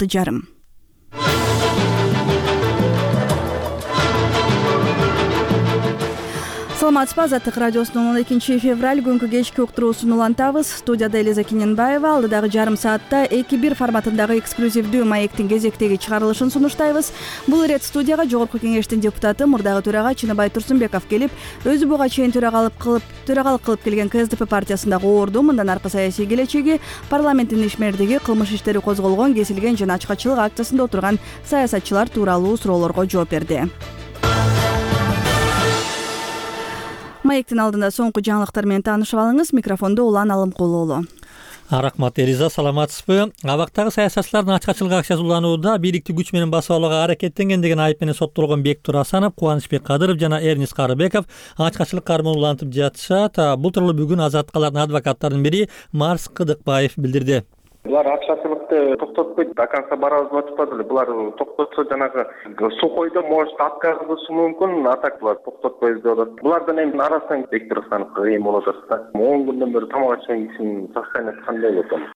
жарым. Саламатсызбы, Азаттык радиосунун 12 февраль күнгү кечки уктуруусун улантабыз. Студияда Элиза Киненбаева. Алдыдагы жарым саатта 2-1 форматындагы эксклюзивдүү маектин кезектеги чыгарылышын сунуштайбыз. Бул ирет студияга Жогорку Кеңештин депутаты, мурдагы төрага Чыныбай Турсунбеков келип, өзү буга чейин төрагалык кылып келген КСДП партиясындагы орду, мындан аркы саясий келечеги, парламенттин ишмердиги, кылмыш иштери козголгон, кесилген жана ачкачылык акциясында отурган саясатчылар тууралуу суроолорго жооп берди. Маектин алдында соңку жаңылыктар менен таанышып алыңыз. Микрофондо Улан Алымкулуулу. Рахмат, Элиза, саламатсызбы? Абактагы саясатчылардын ачкачылык акциясы уланууда бийликти күч менен басып алууга аракеттенген деген айып менен соттолгон Бектур Асанов, Кубанычбек Кадыров жана Эрнис Карыбеков ачкачылык кармоо улантып жатышат. Бул тууралуу бүгүн Азаттыкалардын адвокаттарынын бири Марс Кыдыкбаев билдирди. Булар акчачылыкты токтотпойт, до конца барабыз деп атышпады эле. Булар токтотсо жанагы сухойдо может отказ кылышы мүмкүн, а так булар токтотпойбуз деп атат. Булардын эми арасынан Бектур Асановго эми болот да. 10 күндөн бери тамак ачпаган кишинин состояниясы кандай болот экен?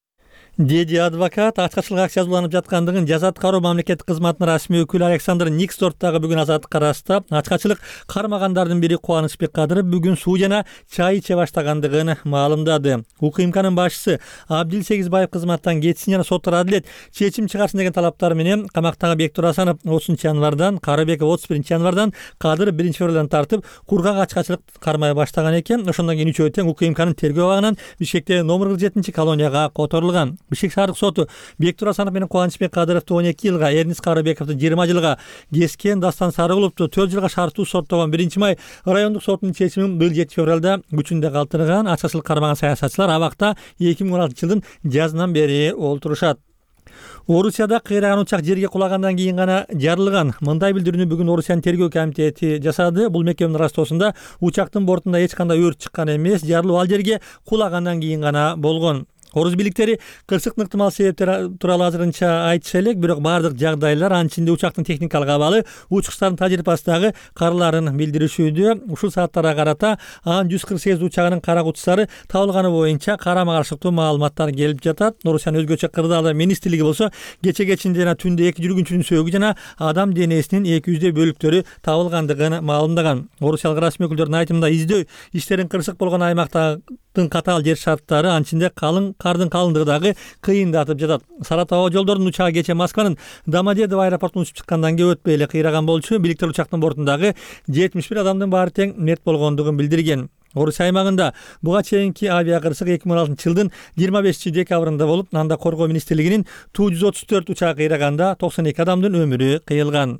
Деди адвокат. Ачкачылык акциясы уланып жаткандыгын жаза аткаруу мамлекеттик кызматынын расмий өкүлү Александр Никсдорф дагы бүгүн Азаттыкка ырастап, ачкачылык кармагандардын бири Кубанычбек Кадыров бүгүн суу жана чай иче баштагандыгын маалымдады. УКМКнын башчысы Абдил Сегизбаев кызматтан кетсин жана соттор адилет чечим чыгарсын деген талаптар менен камактагы Бектур Асанов 30 январдан, Карыбеков 31 январдан, Кадыров 1 февралдан тартып кургак ачкачылык кармай баштаган экен. Ошондон кийин үчөө тең УКМКнын тергөө абагынан Бишкектеги номер 47 колонияга которулган. Бишкек шаардык соту Бектур Асанов менен Кубанычбек Кадыровду 12 жылга, Эрнис Карыбековду 20 жылга, Кескен Дастан Сарыгуловду 4 жылга шарттуу соттогон 1 май райондук сотунун чечимин быйыл 7 февралда күчүндө калтырган. Ачкачылык кармаган саясатчылар абакта 2016 жылдын жазынан бери олтурушат. Орусияда кыйраган учак жерге кулагандан кийин гана жарылган. Мындай билдирүүнү бүгүн Орусиянын тергөө комитети жасады. Бул мекеменин ырастоосунда учактын бортунда эч кандай өрт чыккан эмес, жарылуу ал жерге кулагандан кийин гана болгон. Орус бийликтери кырсыктын ыктымал себептери тууралуу азырынча айтыша элек, бирок бардык жагдайлар, анын ичинде учактын техникалык абалы, учкучтардын тажрыйбасындагы карларын билдиришүүдө. Ушул сааттарга карата анын 148 учагынын кара кутусары табылганы боюнча карама каршылыктуу маалыматтар келип жатат. Орусиянын өзгөчө кырдаалдар министрлиги болсо кече-кечинде жана түндө 2 жүргүнчүнүн сөөгү жана адам денесинин 200 бөлүктөрү табылгандыгын маалымдаган. Орусиялык расмий өкүлдөрдүн айтымында издөө иштерин кырсык болгон аймактардын катаал жер шарттары, анын ичинде кардын калыңдыгы дагы кыйындатып жатат. Саратов аба жолдорунун учагы кече Москванын Домодедово аэропортуна учуп чыккандан кийин өтпөй эле кыйраган болчу. Бийликтер учактын бортундагы 71 адамдын баары тең мерт болгондугун билдирген. Орусия аймагында буга чейинки авиакырсык 2016 жылдын 25 декабрында болуп, анда коргоо министрлигинин Ту-134 учагы кыйраганда 92 адамдын өмүрү кыйылган.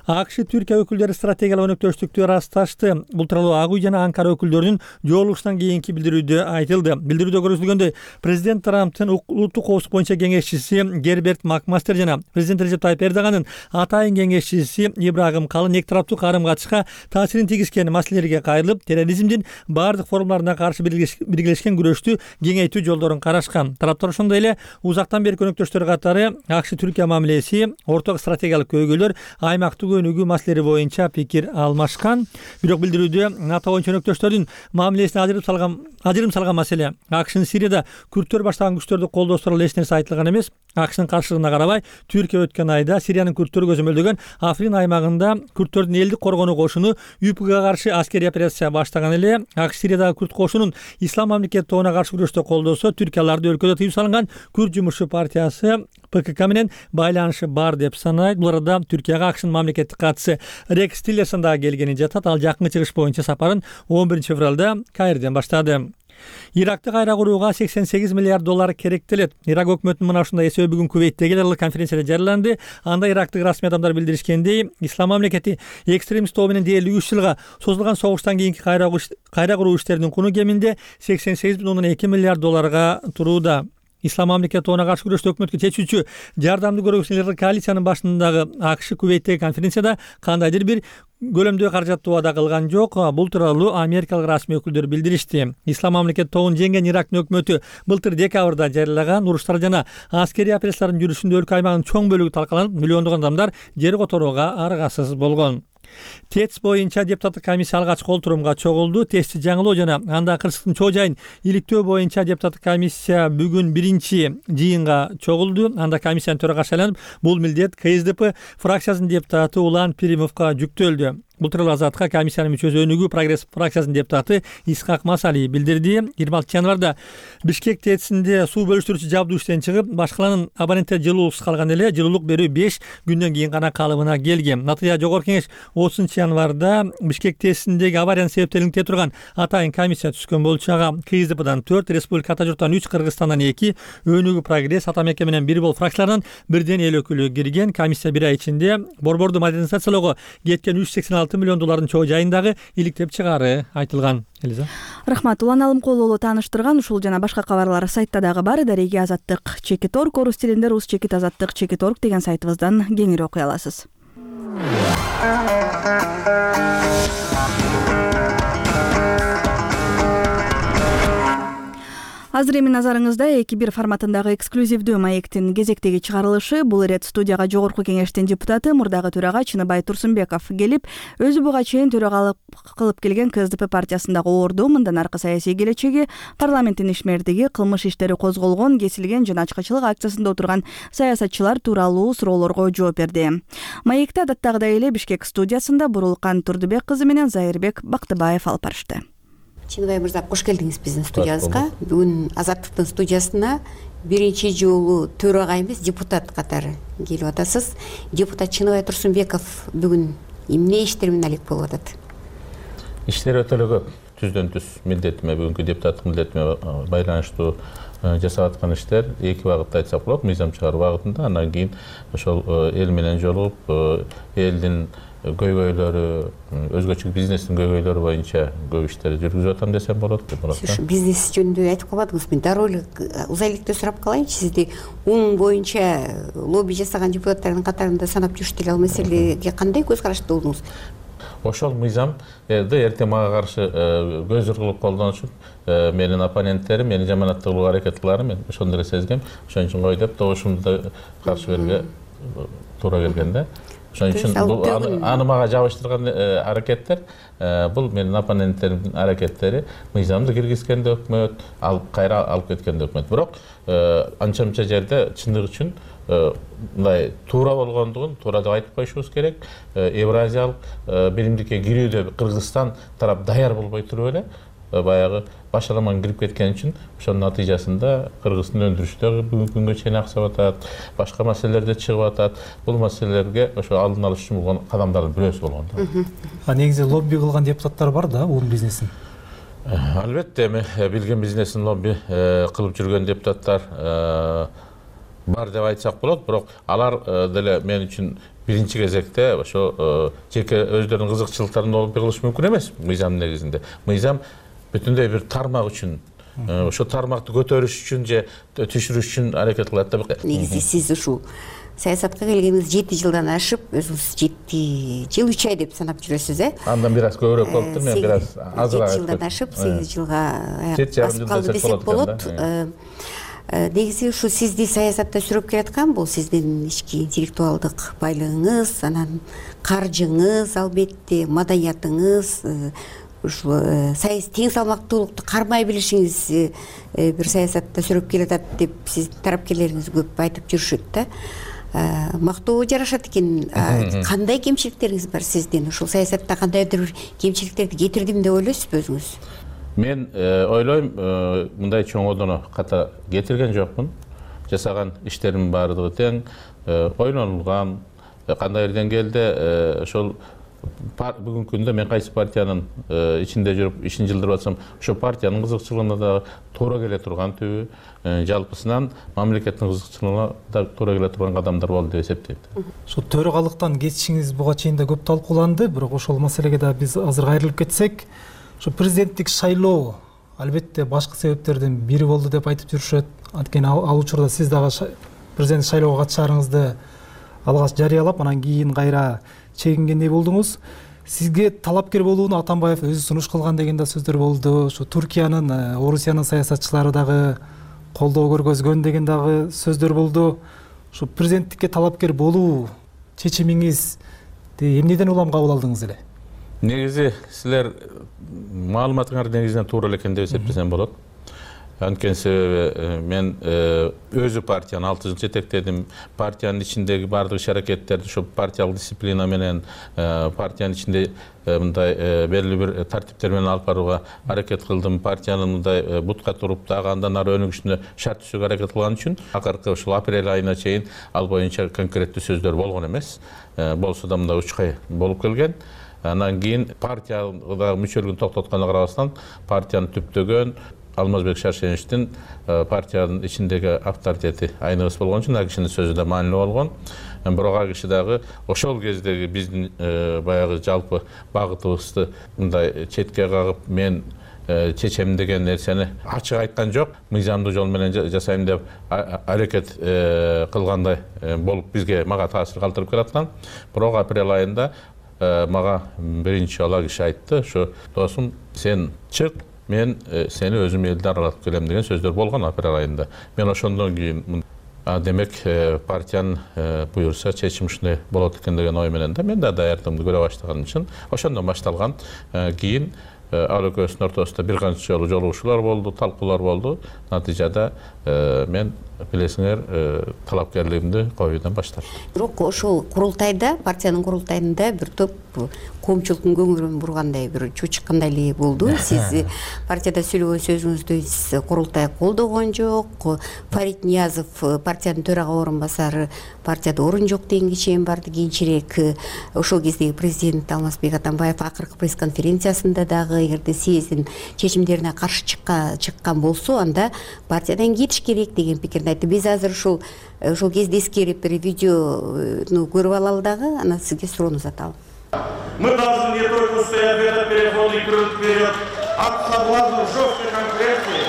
АКШ Түркия өкүлдөрү стратегиялык өнөктөштүктү ырасташты. Бул тууралуу Ак үй жана Анкара өкүлдөрүнүн жолугушунан кийинки билдирүүдө айтылды. Билдирүүдө көрсөтүлгөндөй, президент Трамптын улуттук коопсуздук боюнча кеңешчиси Герберт Макмастер жана президент Режеп Тайып Эрдогандын атайын кеңешчиси Ибрагим Калын эки тараптуу карым-катышка таасирин тийгизген маселелерге кайрылып, терроризмдин бардык формаларына каршы биргелешкен күрөштү кеңейтүү жолдорун карашкан. Тараптар ошондой эле узактан берки өнөктөштөр катары АКШ Түркия мамилеси, орток стратегиялык көйгөйлөр, аймактык өнүгүү маселелери боюнча пикир алмашкан. Бирок билдирүүдө НАТО боюнча өнөктөштөрдүн мамилесине ажырым салган маселе АКШнын Сирияда күрттөр баштаган күчтөрдү колдоо тууралуу эч нерсе айтылган эмес. АКШнын каршылыгына карабай, Түркия өткөн айда Сириянын күрттөрү көзөмөлдөгөн Африн аймагында күрттөрдүн элдик коргонуу кошуну ЮПГга каршы аскерий операция баштаган эле. АКШ Сириядагы күрт кошунун Ислам мамлекети тобуна каршы күрөштө колдосо, түркияларды өлкөдө тыюу салынган Күрд жумушчу партиясы ПКК менен байланышы бар деп санайт. Бул арада Түркияга АКШнын мамлекеттик катчысы Рекс Тиллерсон дагы келгени жатат. Ал жакынкы чыгыш боюнча сапарын 11 февралда Каирден баштады. Иракты кайра курууга $88 миллиард керектелет. Ирак өкмөтүнүн мына ушундай эсеби бүгүн Кувейттеги эл аралык конференцияда жарыяланды. Анда ирактык расмий адамдар билдиришкендей, Ислам мамлекети экстремист тобу менен дээрлик 3 жылга созулган согуштан кийинки кайра куруу иштеринин куну кеминде $88,2 миллиард турууда. Ислам мамлекети тобуна каршы күрөштө өкмөткө чечүүчү жардамды көргөзгүчүлөр коалициянын башындагы АКШ Кувейттеги конференцияда кандайдыр бир көлөмдүү каражатты убада кылган жок. Бул тууралуу америкалык расмий өкүлдөр билдиришти. Ислам мамлекети тобун жеңген Ирактын өкмөтү былтыр декабрда жарыялаган уруштар жана аскерий операциялардын жүрүшүндө өлкө аймагынын чоң бөлүгү талкаланып, миллиондогон адамдар жер которууга аргасыз болгон. ТЭЦ боюнча депутаттык комиссия алгачкы олтурумга чогулду. ТЭЦти жаңылоо жана андагы кырсыктын чоо жайын иликтөө боюнча депутаттык комиссия бүгүн биринчи жыйынга чогулду. Анда комиссиянын төрагасы шайланып, бул милдет КСДП фракциясынын депутаты Улан Пиримовго жүктөлдү. Бул тууралуу Азаттыкка комиссиянын мүчөсү Өнүгүү прогресс фракциясынын депутаты Исхак Масали билдирди. 26 январда Бишкек ТЭЦинде суу бөлүштүрүүчү жабдуу иштен чыгып, башкалардын абоненттери жылуулуксуз калган эле. Жылуулук берүү 5 күндөн кийин гана калыбына келген. Натыйжа Жогорку Кеңеш 30 январда Бишкек ТЭЦиндеги авариянын себептерин турган атайын комиссия түзгөн болчу. Ага КСДПдан 4, Республика Ата журттан 3, Кыргызстандан 2, Өнүгүү прогресс, Ата мекке менен 1 болуп фракциялардан бирден эл өкүлү кирген. Комиссия 1 ай ичинде борборду модернизациялоого кеткен 386 миллион доллардын чоо жайындагы иликтеп чыгаары айтылган. Элиза. Рахмат. Улан Алымкулуулу тааныштырган ушул жана башка кабарлар сайтта дагы бар. Дареги Азаттык /Орг, орус тилинде rus/Азаттык /Орг деген сайтыбыздан кеңири окуй аласыз. Азыр эми назарыңызда 2-1 форматындагы эксклюзивдүү маектин кезектеги чыгарылышы. Бул ирет студияга Жогорку Кеңештин депутаты, мурдагы төрага Чыныбай Турсунбеков келип, өзү буга чейин төрагалык кылып келген КСДП партиясындагы орду, мындан аркы саясий келечеги, парламенттин ишмердиги, кылмыш иштери козголгон, кесилген жана ачкачылык акциясында отурган саясатчылар тууралуу суроолорго жооп берди. Маекти адаттагыдай эле Бишкек студиясында Бурулкан Турдубек кызы менен Зайырбек Бактыбаев алып барышты. Чыныбай мырза, кош келдиңиз биздин студиябызга. Бүгүн Азаттыктын студиясына биринчи жолу төрага эмес, депутат катары келип атасыз. Депутат Чыныбай Турсунбеков бүгүн эмне иштер менен алек болуп атат? Иштер өтө эле көп. Түздөн түз милдетиме, бүгүнкү депутаттык милдетиме байланыштуу жасап аткан иштер эки багытта айтсак болот. Мыйзам чыгаруу багытында, андан кийин ошол эл менен жолугуп, элдин көйгөйлөрү, өзгөчө бизнестин көйгөйлөрү боюнча көп иштерди жүргүзүп атам десем болот. Бизнес жөнүндө айтып калбадыңыз. Мен дароо эле узай электе сурап калайынчы. Сизди УН боюнча лобби жасаган депутаттардын катарында санап жүрүштү эле. Ал маселеге кандай көз карашта болдуңуз? Ошол мыйзамды эртең мага каршы көзүр кылып колдонушуп, менин оппоненттерим мени жаманаттоо аракет кылаарын мен ошондо эле сезгем. Ошон үчүн кой деп добушумду каршы берүүгө туура келген да. Ошон үчүн аны мага жабыштырган аракеттер, бул менин оппоненттеримдин аракеттери. Мыйзамды киргизгенде өкмөт, кайра алып кеткенде өкмөт. Бирок анча-мынча жерде чындык үчүн мындай туура болгондугун туура деп айтып коюшубуз керек. Евразиялык биримдикке кирүүдө Кыргызстан тарап даяр болбой туруп эле баягы башаламан кирип кеткен үчүн ошонун натыйжасында Кыргыздын өндүрүшү бүгүнкү күнгө чейин аксап атат, башка маселелерде чыгып атат. Бул маселелерге ошо алдын алыш үчүн болгон кадамдардын бирөөсү болгон да. Негизи лобби кылган депутаттар бар да, УН бизнесин. Албетте, эми билген бизнесин лобби кылып жүргөн депутаттар бар деп айтсак болот, бирок алар деле мен үчүн биринчи кезекте ошо жеке өздөрүнүн кызыкчылыктарын лобби кылыш мүмкүн эмес мыйзам негизинде. Мыйзам бүтүндөй бир тармак үчүн, ошо тармакты көтөрүш үчүн же түшүрүш үчүн аракет кылат да. Негизи сиз ушул саясатка келгениңиз 7 жылдан ашып, өзүңүз 7 жыл 3 ай деп санап жүрөсүз, Андан бир аз көбүрөөк болуптур, мен бир аз азыраак. 7 жылдан ашып, 8 жылга басып калды десек болот. Негизи ушу сизди саясатта сүрөп келаткан бул сиздин ички интеллектуалдык байлыгыңыз, анан каржыңыз, албетте маданиятыңыз, ушу тең салмактуулукту кармай билишиңиз бир саясатта сүрөп келатат деп сиздин тарапкерлериңиз көп айтып жүрүшөт да. Мактоо жарашат экен. Кандай кемчиликтериңиз бар сиздин? Ушул саясатта кандайдыр бир кемчиликтерди кетирдим деп ойлойсузбу өзүңүз? Мен ойлойм, мындай чоңодоно ката кетирген жокмун. Жасаган иштерим баардыгы тең, ойлонулган, кандайдыр деңгээлде ошол бүгүнкү күндө мен кайсы партиянын ичинде жүрүп ишин жылдырып атсам, ошо партиянын кызыкчылыгына да туура келе турган түбү, жалпысынан мамлекеттин кызыкчылыгына да туура келе турган кадамдар болду деп эсептейм. Ошо төрагалыктан кетишиңиз буга чейин да көп талкууланды, бирок ошол маселеге да биз азыр кайрылып кетсек, ошо президенттик шайлоо албетте башкы себептердин бири болду деп айтып жүрүшөт. Анткени ал учурда сиз дагы президент шайлоого катышаарыңызды алгач жарыялап, анан кийин кайра чегингендей болдуңуз. Сизге талапкер болууну Атамбаев өзү сунуш кылган деген да сөздөр болду. Ошо Туркиянын, Орусиянын саясатчылары дагы колдоо көргөзгөн деген дагы сөздөр болду. Ошо президенттикке талапкер болуу чечимиңиз Эмнеден улам кабыл алдыңыз эле? Негизи силер маалыматыңар негизинен туура эле экен деп эсептесем болот. Анткени себеби мен өзү партияны 6 жыл жетектедим. Партиянын ичиндеги бардык иш-аракеттерди ошо партиялык дисциплина менен, партиянын ичинде мындай белгилүү бир тартиптер менен алып барууга аракет кылдым. Партиянын мындай бутка туруп дагы андан ары өнүгүшүнө шарт түзүүгө аракет кылган үчүн акыркы ушул апрель айына чейин ал боюнча конкреттүү сөздөр болгон эмес. Болсо да мындай учкай болуп келген. Андан кийин партияга мүчөлүгүн токтотконго карабастан партияны түптөгөн Алмазбек Шаршеновичтин партиянын ичиндеги авторитети айныбыс болгон үчүн ал кишинин сөзү да маанилүү болгон. Бирок ал киши дагы ошол кездеги биздин баягы жалпы багытыбызды мындай четке кагып мен чечем деген нерсени ачык айткан жок. Мыйзамдуу жол менен жасайм деп аракет кылгандай болуп мага таасир калтырып келаткан. Бирок апрель айында мага биринчи ала киши айтты, ошо досум сен чык, мен сени өзүм элди аралатып келем деген сөздөр болгон апрель айында. Мен ошондон кийин демек партиянын буюрса чечим ушундай болот экен деген ой менен да мен да даярдыгымды көрө баштаган үчүн ошондон башталган. Кийин ал экөөбүздүн ортосунда бир канча жолу жолугушуулар болду, талкуулар болду. Натыйжада мен билесиңер талапкерлигимди коюудан баштадым. Бирок ошол курултайда, партиянын курултайында бир топ коомчулуктун көңүлүн бургандай бир чучкандай эле болду. Сиз партияда сүйлөгөн сөзүңүздө сиз курултай колдогон жок. Фарид Ниязов партиянын төрага орун басары партияда орун жок деген киши барды. Кийинчерээк ошол кездеги президент Алмазбек Атамбаев акыркы пресс-конференциясында дагы эгерде съездин чечимдерине каршы чыккан болсо, анда партиядан кетиш керек деген пикирди айтты. Биз азыр ошол кезде эскерип бир видеону көрүп алалы дагы, анан сизге суроону задалы. Мы должны не только стоять в этот переходный круг вперед, от соблазна жесткой конкуренции,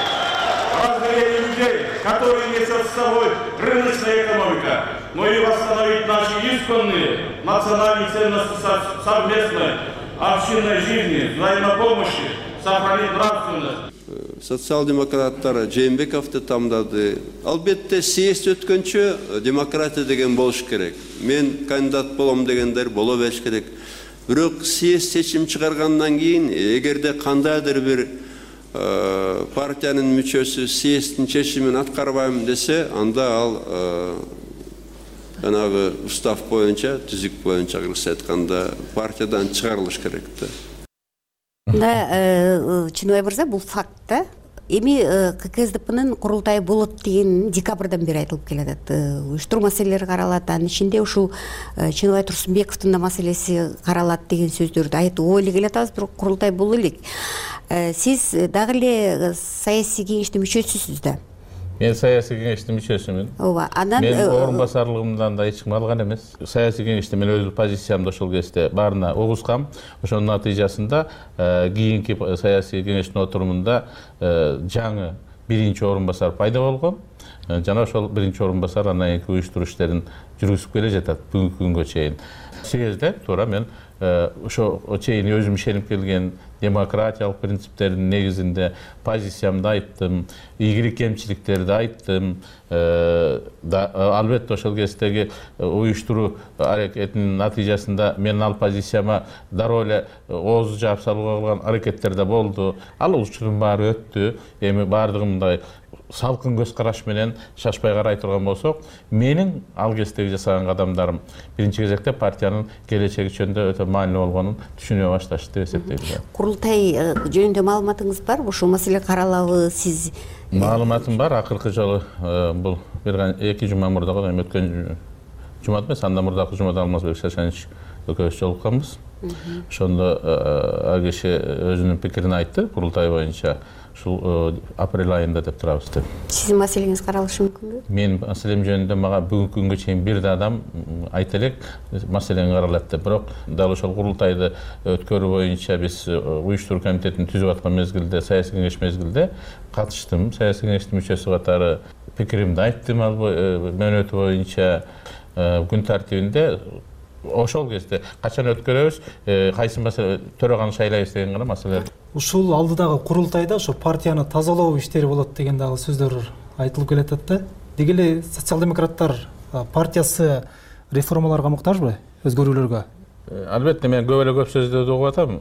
разделения людей, которые несет с собой рыночная экономика, но и восстановить наши исконные национальные ценности совместной общинной жизни, взаимопомощи, сохранить нравственность. Социал-демократтар Жээнбековду тамдады. Албетте съезд өткөнчө демократия деген болуш керек. Мен кандидат болом дегендер боло бериш керек. Бирок съезд чечим чыгаргандан кийин эгерде кандайдыр бир партиянын мүчөсү съезддин чечимин аткарбайм десе, анда ал жанагы устав боюнча, түзүк боюнча кыргызча айтканда партиядан чыгарылыш керек да. Чыныбай мырза, бул факт да. Эми ККСДПнын курултайы болот деген декабрдан бери айтылып келатат. Уюштуруу маселелери каралат, анын ичинде ушул Чыныбай Турсунбековдун да маселеси каралат деген сөздөрдү айтып ой эле келатабыз, бирок курултай боло элек. Сиз дагы эле саясий кеңештин мүчөсүсүз да. Мен саясий кеңештин мүчөсүмүн. Ооба, анан мен орун басарлыгымдан да эч ким алган эмес. Саясий кеңеште мен өз позициямды ошол кезде баарына угузгам. Ошонун натыйжасында кийинки саясий кеңештин отурумунда жаңы биринчи орун басар пайда болгон. Жана ошол биринчи орун басар андан кийинки уюштуруу иштерин жүргүзүп келе жатат бүгүнкү күнгө чейин. Съезде туура мен ошо чейин өзүм ишенип келген демократиялык принциптердин негизинде позициямды айттым, ийгилик кемчиликтерди айттым. Албетте ошол кездеги уюштуруу аракетинин натыйжасында мен ал позицияма дароо эле ооз жаап салууга кылган аракеттер да болду. Ал учурдун баары өттү. Эми баардыгы мындай салкын көз караш менен шашпай карай турган болсок, менин ал кездеги жасаган кадамдарым биринчи кезекте партиянын келечеги жөнүндө өтө маанилүү болгонун түшүнө башташты деп эсептейм. Курултай жөнүндө маалыматыңыз барбы? Ушул маселе каралабы? Сиз маалыматым бар. Акыркы жолу бул бир 2 жума мурда өткөн жумада эмес, андан мурдакы жумада Алмазбек Шаршенович экөөбүз жолукканбыз. Ошондо ал киши өзүнүн пикирин айтты курултай боюнча. Ушул апрель айында деп турабыз деп. Сиздин маселеңиз каралышы мүмкүнбү? Менин маселем жөнүндө мага бүгүнкү күнгө чейин бир да адам айта элек маселени каралат деп. Бирок дал ошол курултайды өткөрүү боюнча биз уюштуруу комитетин түзүп аткан мезгилде, саясий кеңеш мезгилде катыштым. Саясий кеңештин мүчөсү катары пикиримди айттым ал мөөнөтү боюнча күн тартибинде. Ошол кезде качан өткөрөбүз, кайсы маселе төрөганы шайлайбыз деген гана маселе. Ушул алдыдагы курултайда ошо партияны тазалоо иштери болот деген дагы сөздөр айтылып келатат да. Деги эле социал-демократтар партиясы реформаларга муктажбы, өзгөрүүлөргө? Албетте мен көп сөздөрдү угуп атам,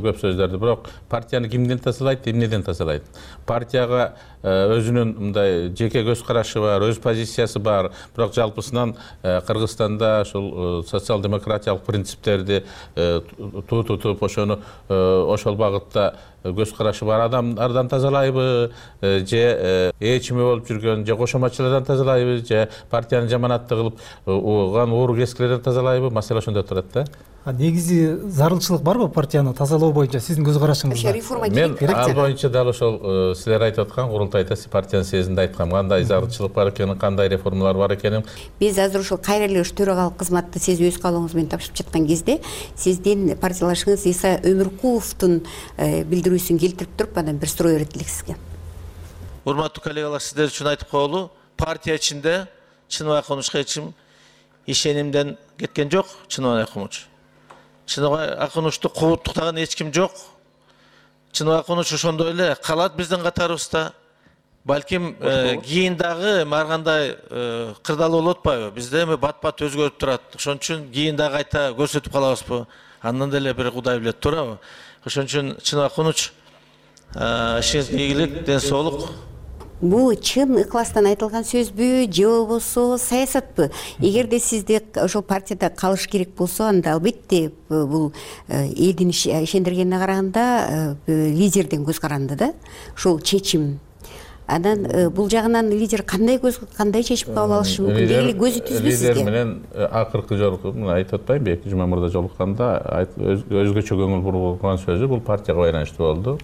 көп сөздөрдү. Бирок партияны кимден тазалайт, эмнеден тазалайт? Партияга өзүнүн мындай жеке көз карашы бар, өз позициясы бар. Бирок жалпысынан Кыргызстанда ушул социал-демократиялык принциптерди тутуп, ошол багытта көз карашы бар адамдардан тазалайбы, же ээчими болуп жүргөн, же кошоматчылардан тазалайбы, же партияны жаманатты кылып уган уур кескилерден тазалайбы? Маселе ошондо турат да. Негизи зарылчылык барбы партияны тазалоо боюнча сиздин көз карашыңызда? Реформа керек. Мен ал боюнча дал ошол силер айтып аткан курултайда партиянын съездинде айткам, кандай зарылчылык бар экенин, кандай реформалар бар экенин. Биз азыр ушул кайра эле төрагалык кызматты сиз өз каалооңуз менен тапшырып жаткан кезде сиздин партиялашыңыз Иса Өмүркуловдун билдирүүсүн келтирип туруп, анан бир суроо берет элек сизге. Урматтуу коллегалар, сиздер үчүн айтып коелу, партия ичинде Чыныбай Акунучка эч ким ишенимден кеткен жок. Чыныбай Акуныч. Чыныбай Акунучту кууттуктаган эч ким жок. Чыныбай Акуныч ошондой эле калат биздин катарыбызда. Балким кийин дагы маргандай кырдаалуу болуп атпайбы? Бизде эми бат-бат өзгөрүп турат. Ошон үчүн кийин дагы кайта көрсөтүп калабызбы? Андан деле бир Кудай билет турабы? Ошон үчүн Чыныбай Акуныч ишиңиз ийгилик, ден соолук. Бул чын ыкластан айтылган сөзбү же болбосо саясатпы? Эгерде сизде ошол партияда калыш керек болсо, анда албетте бул элдин ишендиргенине караганда лидерден көз каранды да. Ошол чечим. Анан бул жагынан лидер кандай чечим кабыл алышы мүмкүн? Дегеле көзү түзбү сизге? Лидер менен акыркы жолку айтып атпайм, 2 жума мурда жолукканда өзгөчө көңүл бурган сөзү бул партияга байланыштуу болду.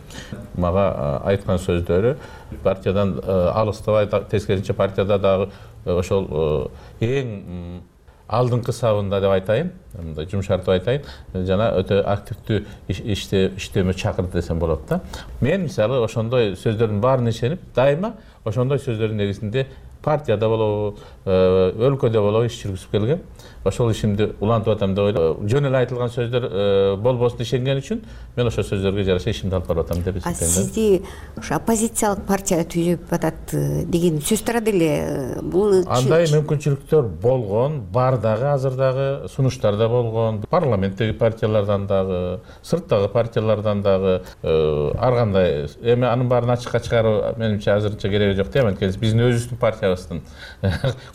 Мага айткан сөздөрү партиядан алыстабай, тескерисинче партияда дагы ошол эң алдыңкы сабында деп айтайын, мындай жумшартып айтайын, жана өтө активдүү иштөмө чакырды десем болот да. Мен мисалы ошондой сөздөрдүн баарына ишенип, дайыма ошондой сөздөрдүн негизинде партияда болобу, өлкөдө болобу иш жүргүзүп келгем. Ошол ишимди улантып атам деп ойлойм. Жөн эле айтылган сөздөр болбосун ишенген үчүн мен ошол сөздөргө жараша ишимди алып барып атам деп эсептейм. Сизди ошо оппозициялык партия түзүп атат деген сөз тарады эле. Бул андай мүмкүнчүлүктөр болгон, бар дагы, азыр дагы сунуштарда болгон. Парламенттеги партиялардан дагы, сырттагы партиялардан дагы ар кандай. Эми анын баарын ачыкка чыгаруу менимче азырынча кереги жок дейм. Анткени биздин өзүбүздүн партиябыздын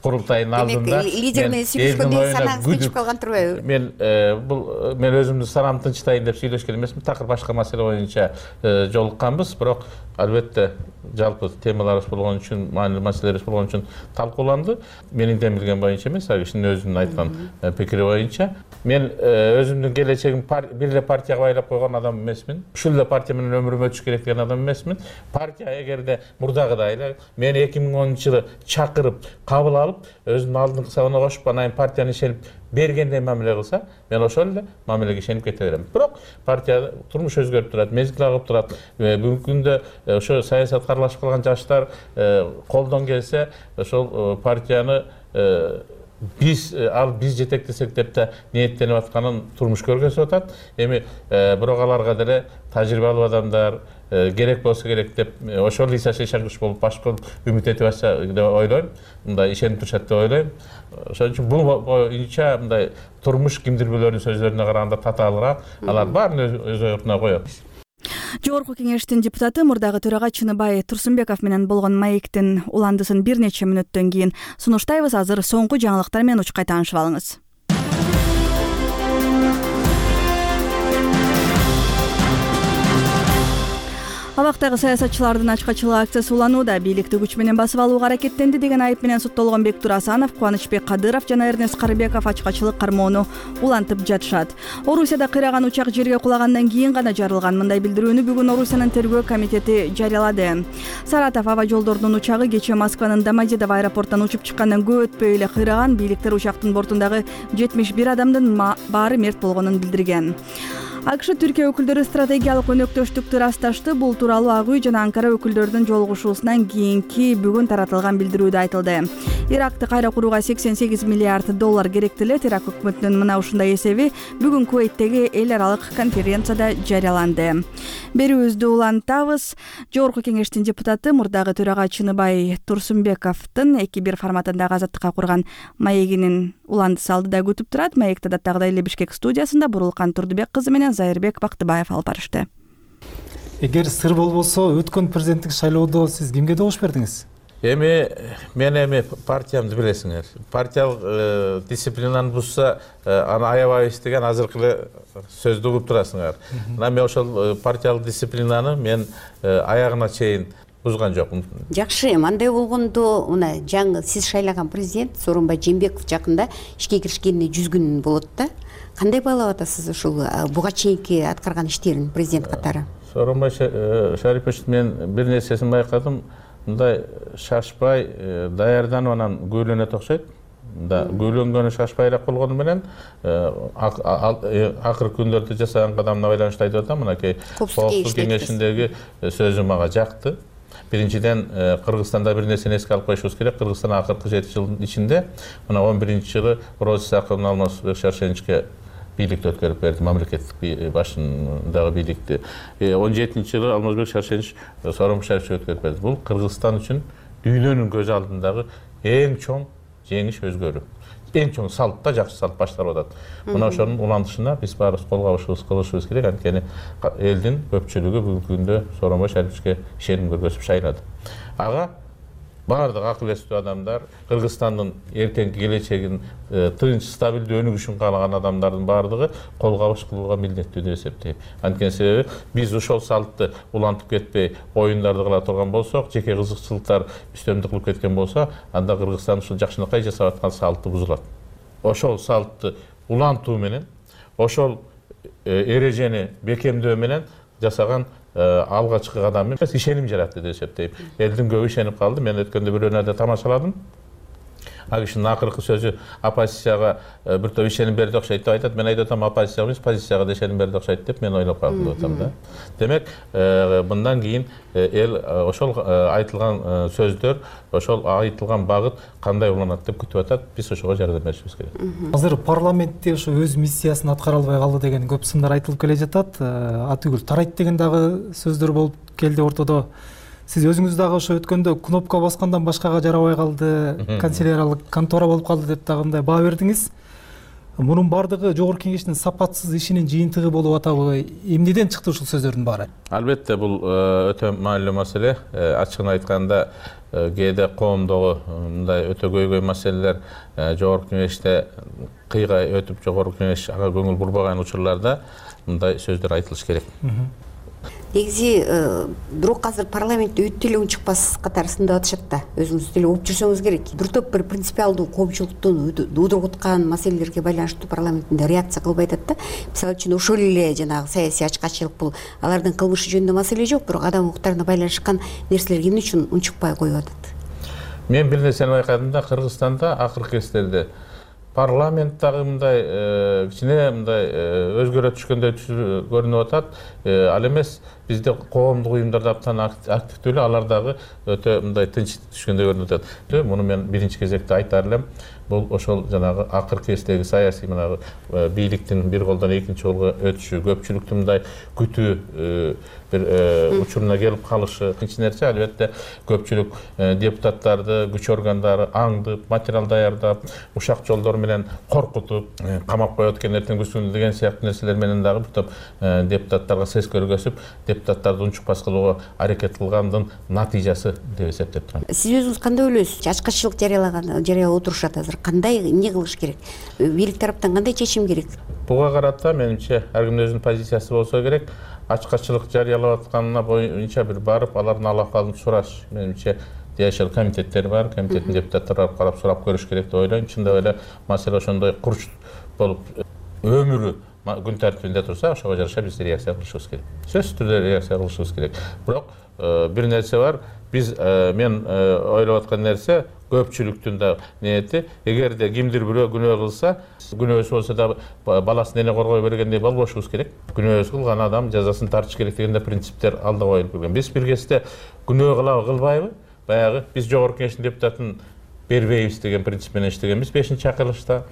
курултайынын алдында лидер менен сүйлөшкөндө санаңыз тынчып калган турбайбы? Мен өзүмдү санам тынчтайын деп сүйлөшкөн эмесмин. Такыр башка маселе боюнча жолукканбыз, бирок албетте жалпы темаларыбыз болгон үчүн, маанилүү маселелерибиз болгон үчүн талкууланды. Менин билген боюнча эмес, ал кишинин өзүнүн айткан пикири боюнча. Мен өзүмдүн келечегим бир эле партияга байлап койгон адам эмесмин. Ушул эле партия менен өмүрүм өтүш керек деген адам эмесмин. Партия эгерде мурдагыдай эле мени 2010-жылы чакырып, кабыл алып, өзүнүн алдыңкы сабына кошуп, анан партияны ишенип бергендей мамиле кылса, мен ошол эле мамилеге ишенип кете берем. Бирок партия турмуш өзгөрүп турат, мезгил агып турат. Бүгүнкү күндө ошо саясатка аралашып калган жаштар колдон келсе, ошол партияны биз жетектесек деп да ниеттенип атканын турмуш көргөзүп атат. Эми бирок аларга деле тажрыйбалуу адамдар керек болсо керек деп ошол ишенич болуп башка үмүт этип атса деп ойлойм. Мындай ишенип турушат деп ойлойм. Ошон үчүн бул боюнча мындай турмуш кимдирбөлөрдүн сөздөрүнө караганда татаалыраак, алар баарын өз ордуна коет. Жогорку кеңештин депутаты, мурдагы төрага Чыныбай Турсунбеков менен болгон маектин уландысын бир нече мүнөттөн кийин сунуштайбыз. Азыр соңку жаңылыктар менен учкай таанышып алыңыз. Абактагы саясатчылардын ачкачылык акциясы уланууда. Бийликти күч менен басып алууга аракеттенди деген айып менен соттолгон Бектур Асанов, Кубанычбек Кадыров жана Эрнест Карыбеков ачкачылык кармоону улантып жатышат. Орусияда кыйраган учак жерге кулагандан кийин гана жарылган. Мындай билдирүүнү бүгүн Орусиянын тергөө комитети жарыялады. Саратов аба жолдорунун учагы кечээ Москванын Домодедово аэропортунан учуп чыккандан көп өтпөй эле кыйраган. Бийликтер учактын бортундагы 71 адамдын баары мерт болгонун билдирген. АКШ Түркия өкүлдөрү стратегиялык өнөктөштүктү ырасташты. Бул тууралуу Ак үй жана Анкара өкүлдөрүнүн жолугушуусунан кийинки бүгүн таратылган билдирүүдө айтылды. Иракты кайра курууга $88 миллиард керектелет. Ирак өкмөтүнүн мына ушундай эсеби бүгүн Кувейттеги эл аралык конференцияда жарыяланды. Берүүбүздү улантабыз. Жогорку кеңештин депутаты, мурдагы төрага Чыныбай Турсунбековдун 2-1 форматындагы Азаттыкка курган маегинин Уландысы алдыда күтүп турат. Маекти даттагыдай эле Бишкек студиясында Бурулкан Турдубек кызы менен Зайырбек Бактыбаев алып барышты. Эгер сыр болбосо, өткөн президенттик шайлоодо сиз кимге добуш бердиңиз? Мен партиямды билесиңер. Партиялык дисциплинаны бузса, аны аябайбыз деген азыркы эле сөздү угуп турасыңар. Мен ошол партиялык дисциплинаны мен аягына чейин бузган жокмун. Жакшы, андай болгондо, мына жаңы сиз шайлаган президент Сооронбай Жээнбеков жакында ишке киришкенине 100 күн болот да. Кандай баалап атасыз ушул буга чейинки аткарган иштерин президент катары? Сооронбай Шарипович, мен бир нерсесин байкадым. Мындай шашпай, даярданып анан көйлөнөт окшойт. Көйлөнгөнү шашпайраак болгону менен акыркы күндөрдө жасаган кадамына байланыштуу айтып атам. Мынакей Коопсуздук кеңешиндеги сөзү мага жакты. Биринчиден, Кыргызстанда бир нерсени эске алып коюшубуз керек. Кыргызстан акыркы 7 жылдын ичинде, мына 11-жылы Роза Исаковна Алмазбек Шаршеничке бийликти өткөрүп берди, мамлекеттик башындагы бийликти. 17-жылы Алмазбек Шаршенич Сооронбай Шариповичке өткөрүп берди. Бул Кыргызстан үчүн дүйнөнүн көз алдындагы эң чоң жеңиш өзгөрүү. Эң чоң салт да, жакшы салт башталып атат. Мына ошонун улантышына биз баарыбыз кол кабышыбыз кылышыбыз керек. Анткени элдин көпчүлүгү бүгүнкү күндө Сооронбай Шариповичке ишеним көргөзүп шайлады. Ага баардык акыл эстүү адамдар, Кыргызстандын эртеңки келечегин тынч, стабилдүү өнүгүшүн каалаган адамдардын баардыгы кол кабыш кылууга милдеттүү деп эсептейм. Анткени себеби биз ошол салтты улантып кетпей, оюндарды кыла турган болсок, жеке кызыкчылыктар үстөмдүк кылып кеткен болсо, анда Кыргызстан ушул жакшынакай жасап аткан салты бузулат. Ошол салтты улантуу менен, ошол эрежени бекемдөө менен жасаган алгачкы кадам эмес, ишеним жаратты деп эсептейм. Элдин көбү ишенип калды. Мен өткөндө бир өнөрдө тамашаладым. Ал кишинин акыркы сөзү оппозицияга бир топ ишеним берди окшойт деп айтат. Мен айтып атам, оппозицияга эмес, позицияга да ишеним берди окшойт деп мен ойлоп калдым деп атам да. Демек, мындан кийин эл ошол айтылган сөздөр, ошол айтылган багыт кандай уланат деп күтүп атат. Биз ошого жардам беришибиз керек. Азыр парламентте ошо өз миссиясын аткара албай калды деген көп сындар айтылып келе жатат. Атүгүл тарайт деген дагы сөздөр болуп келди ортодо. Сиз өзүңүз дагы ошо өткөндө кнопка баскандан башкага жарабай калды, канцеляриялык контора болуп калды деп дагы мындай баа бердиңиз. Мунун бардыгы жогорку кеңештин сапатсыз ишинин жыйынтыгы болуп атабы? Эмнеден чыкты ушул сөздөрдүн баары? Албетте, бул өтө маанилүү маселе. Ачыгын айтканда, кээде коомдогу мындай өтө көйгөй маселелер жогорку кеңеште кыйгай өтүп, жогорку кеңеш ага көңүл бурбаган учурларда мындай сөздөр айтылыш керек. Негизи бирок азыр парламентте өтө эле унчукпас катары сындап атышат да. Өзүңүз деле угуп жүрсөңүз керек. Бир топ бир принципиалдуу коомчулуктун удургуткан маселелерге байланыштуу парламентте реакция кылбай атат да. Мисалы үчүн ошол эле жанагы саясий ачкачылык бул алардын кылмышы жөнүндө маселе жок, бирок адам укуктарына байланышкан нерселер эмне үчүн унчукпай коюп атат? Мен бир нерсени байкадым да, Кыргызстанда акыркы кездерде парламенттагы мындай кичине мындай өзгөрө түшкөндөй көрүнүп атат. Ал эмес, бизде коомдук уюмдарда абдан активдүү эле, алар дагы өтө мындай тынч түшкөндөй көрүнүп атат. Муну мен биринчи кезекте айтар элем. Бул ошол жанагы акыркы кездеги саясий мына бийликтин бир колдон экинчи колго өтүшү, көпчүлүктүн мындай күтүү бир учуруна келип калышы. Экинчи нерсе, албетте, көпчүлүк депутаттарды, күч органдары аңдып, материал даярдап, ушак жолдор менен коркутуп, камап коет экен эртең күнү деген сыяктуу нерселер менен дагы бир топ депутаттарга сес көргөзүп, депутаттарды унчукпас кылууга аракет кылгандын натыйжасы деп эсептеп турам. Сиз өзүңүз кандай ойлойсуз? Ачкачылык жарыялап отурушат азыр. Кандай эмне кылыш керек? Бийлик тараптан кандай чечим керек? Буга карата менимче ар кимдин өзүнүн позициясы болсо керек. Ачкачылык жарыялап атканына боюнча бир барып, алардын алакалын сураш. Менимче жашыл комитеттер бар, комитеттин депутаттары барып карап сурап көрүш керек деп ойлойм. Чындап эле маселе ошондой курч болуп өмүрү күн тартибинде турса, ошого жараша биз реакция кылышыбыз керек. Сөзсүз түрдө реакция кылышыбыз керек. Бирок бир нерсе бар. Мен ойлоп аткан нерсе, көпчүлүктүн да ниети, эгерде кимдир бирөө күнөө кылса, күнөөсү болсо да баласын эне коргой бергендей болбошубуз керек. Күнөөсү кылган адам жазасын тартыш керек деген принциптер алда коюлуп келген. Биз бир кезде күнөө кылабы, кылбайбы? Баягы биз жогорку кеңештин депутатын бербейбиз деген принцип менен иштегенбиз. 5-чакырылышта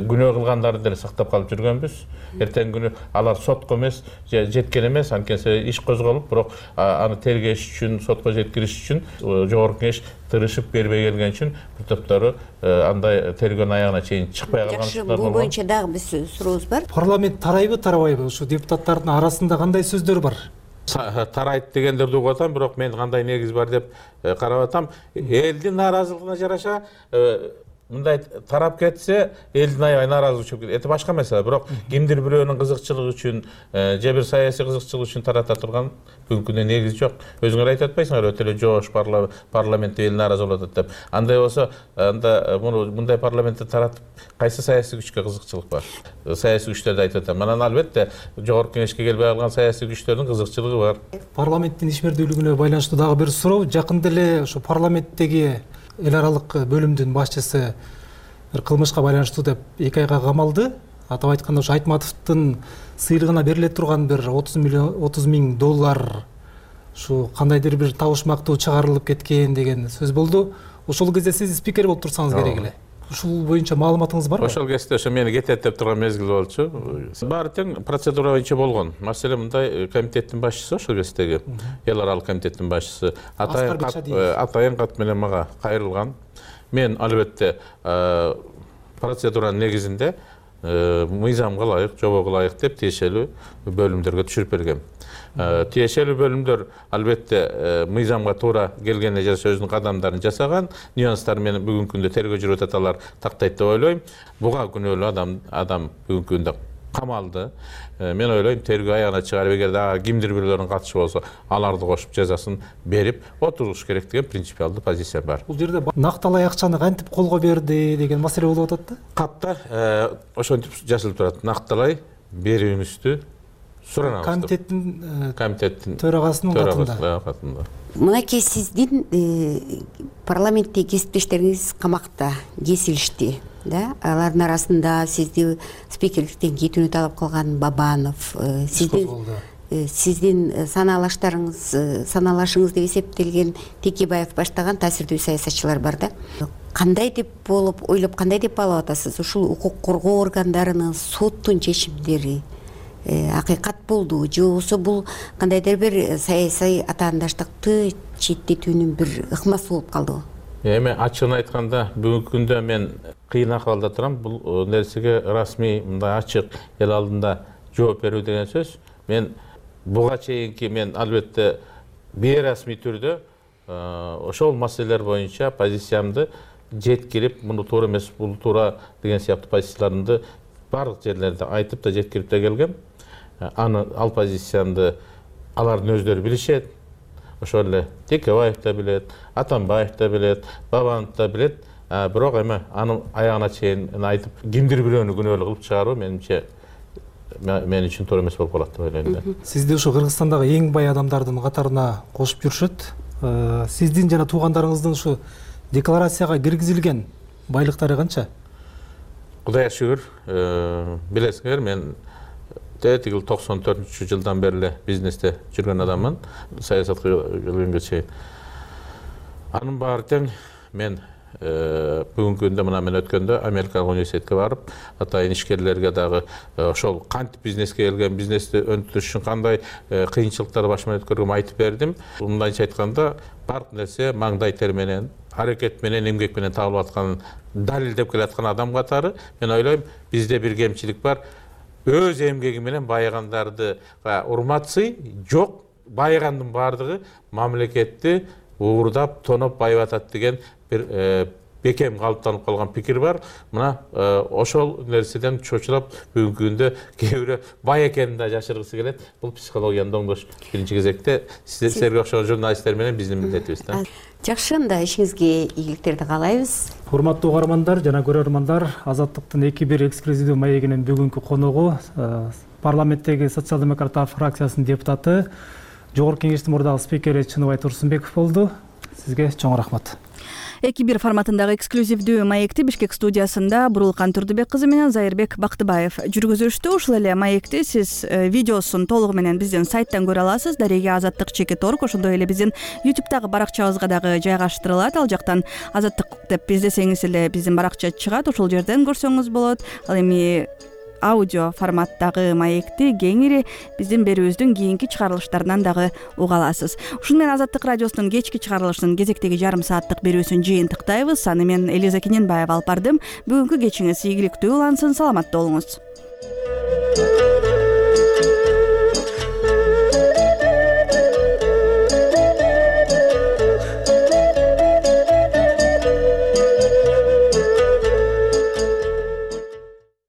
күнөө кылгандарды деле сактап калып жүргөнбүз. Эртең күнү алар сотко эмес, жеткен эмес, анткени иш козголуп, бирок аны тергеш үчүн, сотко жеткириш үчүн жогорку кеңеш тырышып бербей келген үчүн бир топтору андай тергөөнүн аягына чейин чыкпай калган. Жакшы, бул боюнча дагы биз сурообуз бар. Парламент тарайбы, тарабайбы? Ушу депутаттардын арасында кандай сөздөр бар? Тарайт дегендерди угуп атам, бирок мен кандай негиз бар деп карап атам. Элдин нааразылыгына жараша мындай тарап кетсе, элдин аябай нааразы чыгып кетет. Это башка маселе, бирок кимдир бирөөнүн кызыкчылыгы үчүн, же бир саясий кызыкчылык үчүн тарата турган бүгүнкү күндө негизи жок. Өзүңөр айтып атпайсыңар, өтө эле жоош парламентте эл нааразы болуп атат деп. Андай болсо, анда мындай парламентте таратып кайсы саясий күчкө кызыкчылык бар? Саясий күчтөрдү айтып атам. Анан албетте жогорку кеңешке келбей калган саясий күчтөрдүн кызыкчылыгы бар. Парламенттин ишмердүүлүгүнө байланыштуу дагы бир суроо. Жакында эле ошо парламенттеги эл аралык бөлүмдүн башчысы бир кылмышка байланыштуу деп 2 айга камалды. Атап айтканда ошо Айтматовдун сыйлыгына бериле турган бир 30 миң доллар ушу кандайдыр бир табышмактуу чыгарылып кеткен деген сөз болду. Ошол кезде сиз спикер болуп турсаңыз керек эле. Ушул боюнча маалыматыңыз барбы? Ошол кезде ошо мени кетет деп турган мезгил болчу. Баары тең процедура боюнча болгон. Маселе мындай, комитеттин башчысы, ошол кездеги эл аралык комитеттин башчысы атайын кат менен мага кайрылган. Мен албетте процедуранын негизинде мыйзамга ылайык, жобого ылайык деп тиешелүү бөлүмдөргө түшүрүп бергем. Тиешелүү бөлүмдөр албетте мыйзамга туура келгенде же өзүнүн кадамдарын жасаган, нюанстар менен бүгүнкү күндө тергөө жүрүп атат, алар тактайт деп ойлойм. Буга күнөөлүү адам бүгүнкү күндө камалды. Мен ойлойм, тергөө аягына чыгарып, эгер дагы кимдир бирөөлөрүнүн катышы болсо, аларды кошуп жазасын берип отуруш керек деген принципиалдуу позиция бар. Бул жерде накталай акчаны кантип колго берди деген маселе болуп атат да? Катта ошентип жазылып турат. Накталай берүүңүздү суранабыз. Комитеттин төрагасынын катында. Мынакей сиздин парламентте кесиптештериңиз камакта кесилишти. Алардын арасында сизди спикерликтен кетүүнү талап кылган Бабанов, сиздин саналашыңыз деп эсептелген Текебаев баштаган таасирдүү саясатчылар бар да. Кандай деп болуп, ойлоп кандай деп баалап атасыз? Ушул укук коргоо органдарынын, соттун чечимдери акыйкат болду же болбосо бул кандайдыр бир саясий атаандаштыкты четтетүүнүн бир ыкмасы болуп калдыбы? Эми ачыгын айтканда бүгүнкү күндө мен кыйын акыбалда турам. Бул нерсеге расмий мындай ачык эл алдында жооп берүү деген сөз. Мен буга чейинки мен албетте бейрасмий түрдө ошол маселелер боюнча позициямды жеткирип, муну туура эмес, бул туура деген сыяктуу позицияларымды барлык жерлерде айтып да жеткирип да келгем. Ал позициямды алардын өздөрү билишет. Ошол эле Текебаев да билет, Атамбаев да билет, Бабанов да билет. Бирок эми анын аягына чейин айтып, кимдир бирөөнү күнөөлүү кылып чыгаруу менимче мен үчүн туура эмес болуп калат деп ойлойм да. Сизди ушу Кыргызстандагы эң бай адамдардын катарына кошуп жүрүшөт. Сиздин жана туугандарыңыздын ушу декларацияга киргизилген байлыктары канча? Кудайга шүгүр, билесиңер, мен тетигил 94-жылдан бери эле бизнесте жүргөн адаммын, саясатка келгенге чейин. Анын баары тең мен бүгүнкү күндө мына мен өткөндө Америкалык университетке барып, атайын ишкерлерге дагы ошол кантип бизнеске келген, бизнести өнүктүрүш үчүн кандай кыйынчылыктарды башынан өткөргөнүмү айтып бердим. Мындайча айтканда, бардык нерсе маңдай тер менен, аракет менен, эмгек менен табылып атканын далилдеп келаткан адам катары мен ойлойм, бизде бир кемчилик бар. Өз эмгеги менен байыгандарды урматсый жок, байыгандын баардыгы мамлекетти уурдап, тоноп байып атат деген бир бекем калыптанып калган пикир бар. Мына ошол нерседен чочулап бүгүнкү күндө кээ бирөө бай экенин да жашыргысы келет. Бул психологияны оңдош биринчи кезекте силерге окшогон журналисттер менен биздин милдетибиз да. Жакшы, анда ишиңизге ийгиликтерди каалайбыз. Урматтуу угармандар жана көрөрмандар, Азаттыктын 2-1 эксклюзивдүү маегинин бүгүнкү коногу парламенттеги социал-демократтар фракциясынын депутаты, Жогорку Кеңештин мурдагы спикери Чыныбай Турсунбеков болду. Сизге чоң рахмат. 2-1 форматындагы эксклюзивдүү маекти Бишкек студиясында Бурулкан Турдубек кызы менен Зайырбек Бактыбаев жүргүзүштү. Ушул эле маекти сиз видеосун толугу менен биздин сайттан көрө аласыз. Дареге Азаттык @org, ошондой эле биздин YouTube'дагы баракчабызга дагы жайгаштырылат. Ал жактан Азаттык деп издесеңиз эле биздин баракча чыгат. Ошол жерден көрсөңүз болот. Ал эми аудио форматтагы маекти кеңири биздин берүүбүздүн кийинки чыгарылыштарынан дагы уга аласыз. Ушуну менен Азаттык радиосунун кечки чыгарылышынын кезектеги жарым сааттык берүүсүн жыйынтыктайбыз. Аны мен Элиза Кененбаева алып бардым. Бүгүнкү кечиңиз ийгиликтүү улансын, саламатта болуңуз.